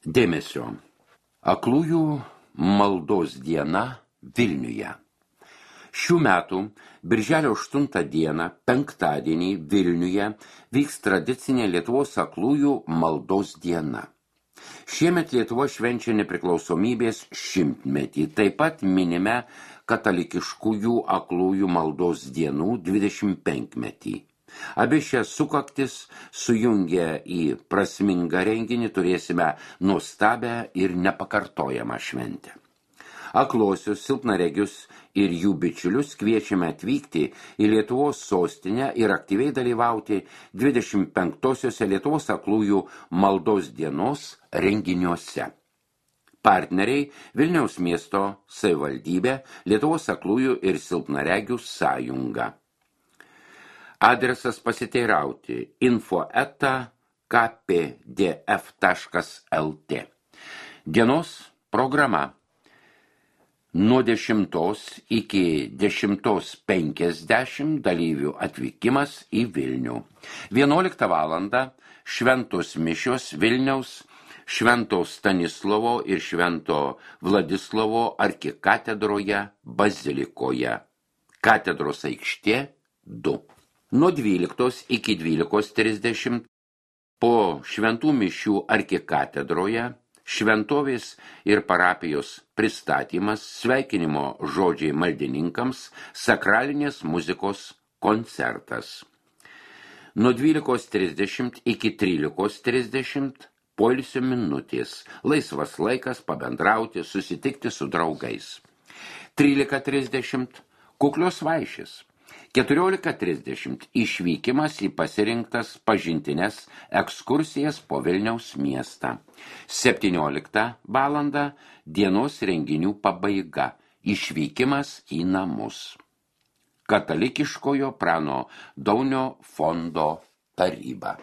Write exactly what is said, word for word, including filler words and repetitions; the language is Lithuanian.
Dėmesio. Aklųjų maldos diena Vilniuje. Šių metų birželio aštuntą dieną, penktadienį Vilniuje, vyks tradicinė Lietuvos aklųjų maldos diena. Šiemet Lietuva švenčia nepriklausomybės šimtmetį, taip pat minime katalikiškųjų aklųjų maldos dienų dvidešimt penkmetį. Abi šias sukaktis sujungę į prasmingą renginį turėsime nuostabią ir nepakartojamą šventę. Akluosius, silpnaregius ir jų bičiulius kviečiame atvykti į Lietuvos sostinę ir aktyviai dalyvauti dvidešimt penktosiose Lietuvos aklųjų maldos dienos renginiuose. Partneriai Vilniaus miesto savivaldybė, Lietuvos aklųjų ir silpnaregių sąjunga. Adresas pasiteirauti info eta k p d f taškas l t. Dienos programa. Nuo dešimtos iki dešimtos penkiasdešimt dalyvių atvykimas į Vilnių. vienuoliktą valandą šventos mišios Vilniaus Švento Stanislovo ir Švento Vladislovo arkikatedroje bazilikoje. Katedros aikštė du. Nuo dvyliktos iki dvylikos trisdešimt po šventų mišių arkikatedroje šventovės ir parapijos pristatymas, sveikinimo žodžiai maldininkams, sakralinės muzikos koncertas. Nuo dvylikos trisdešimt iki trylikos trisdešimt poilsio minutės, laisvas laikas pabendrauti, susitikti su draugais. trylika trisdešimt kuklios vaišės. keturiolika trisdešimt išvykimas į pasirinktas pažintines ekskursijas po Vilniaus miestą. septynioliktą valandą dienos renginių pabaiga, išvykimas į namus. Katalikiškojo Prano Daunio fondo taryba.